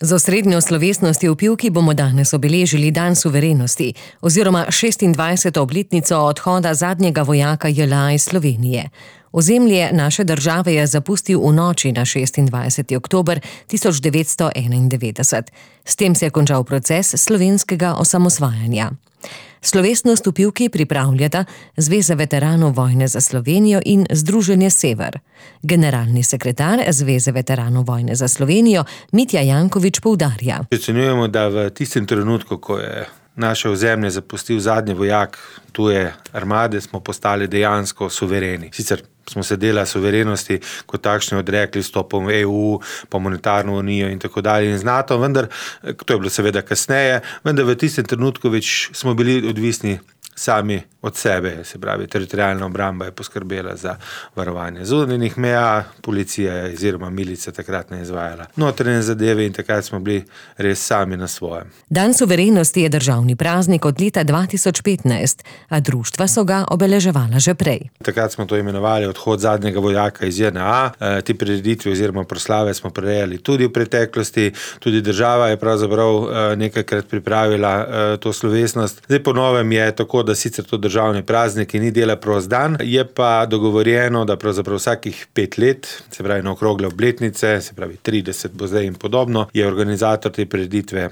Z osrednjo slovesnostjo v Pivki bomo danes obeležili dan suverenosti oziroma 26. obletnico odhoda zadnjega vojaka JLA iz Slovenije. Ozemlje naše države je zapustil v noči na 26. oktober 1991. S tem se je končal proces slovenskega osamosvajanja. Slovesnost v Pivki pripravljata Zveza veteranov vojne za Slovenijo in Združenje Sever. Generalni sekretar Zveze veteranov vojne za Slovenijo Mitja Janković poudarja. Ocenjujemo, da v tistem trenutku, ko je naše ozemlje zapustil zadnji vojak tuje armade, smo postali dejansko suvereni. Sicer smo se dela suverenosti kot takšne odrekli vstopom v EU, po monetarno unijo in tako dalje in z NATO, vendar, to je bilo seveda kasneje, vendar v tistem trenutku več smo bili odvisni sami od sebe, se pravi, teritorialna obramba je poskrbela za varovanje zunanjih meja, policija oziroma milica takrat ne izvajala notranje zadeve in takrat smo bili res sami na svojem. Dan suverenosti je državni praznik od leta 2015, a društva so ga obeleževala že prej. Takrat smo to imenovali odhod zadnjega vojaka iz JNA. Te prireditve oziroma proslave smo prirejali tudi v preteklosti, tudi država je pravzaprav nekajkrat pripravila to slovesnost. Zdaj po novem je tako, da sicer to državni praznik ni dela prost dan, je pa dogovorjeno, da pravzaprav vsakih 5 let, se pravi na okrogle obletnice, se pravi 30 bo zdaj in podobno, je organizator te prireditve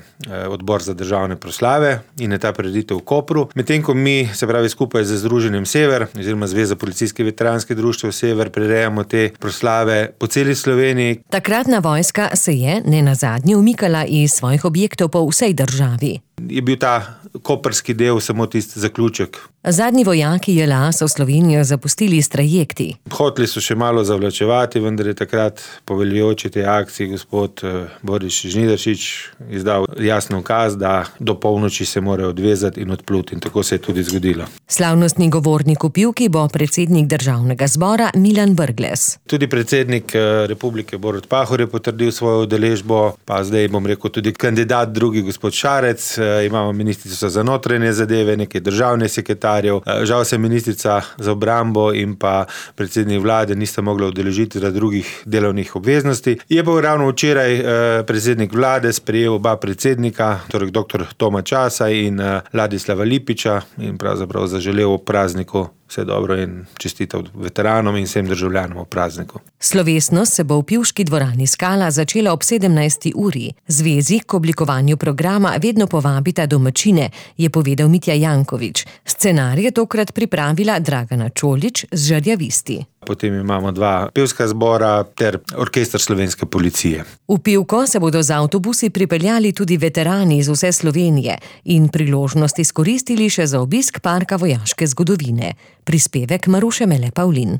odbor za državne proslave in je ta prireditev v Kopru. Medtem ko mi, se pravi skupaj z Združenjem Sever oziroma Zveza policijskih veteranskih društev Sever prirejamo te proslave po celi Sloveniji. Takratna vojska se je nenazadnje umikala iz svojih objektov po vsej državi. Je bil ta koprski del samo tisti zaključek. Zadnji vojaki JLA so Slovenijo zapustili s trajekti. Hoteli so še malo zavlačevati, vendar je takrat poveljujoči tej akciji gospod Boris Žnidaršič izdal jasen ukaz, da do polnoči se morajo odvezati in odpluti in tako se je tudi zgodilo. Slavnostni govornik v Pivki bo predsednik državnega zbora Milan Brglez. Tudi predsednik republike Borut Pahor je potrdil svojo udeležbo, pa zdaj bom rekel tudi kandidat drugi gospod Šarec, imamo ministrico za notranje zadeve, nekaj državnih sekretarjev. Žal se ministrica za obrambo in pa predsednik vlade nista mogla udeležiti zaradi drugih delovnih obveznosti. Je pa ravno včeraj predsednik vlade sprejel oba predsednika, torej dr. Toma Časa in Ladislava Lipiča in pravzaprav zaželel ob prazniku vse dobro in čestital veteranom in vsem državljanom ob prazniku. Slovesnost se bo v Pivški dvorani Skala začela ob 17. uri. Zvezi k oblikovanju programa vedno povabita domačine, je povedal Mitja Janković. Scenarij je tokrat pripravila Dragana Čolić z Žerjavisti. Potem imamo 2 pevska zbora ter orkester slovenske policije. V Pivko se bodo z avtobusi pripeljali tudi veterani iz vse Slovenije in priložnost izkoristili še za obisk parka vojaške zgodovine. Prispevek Maruše Mele Pavlin.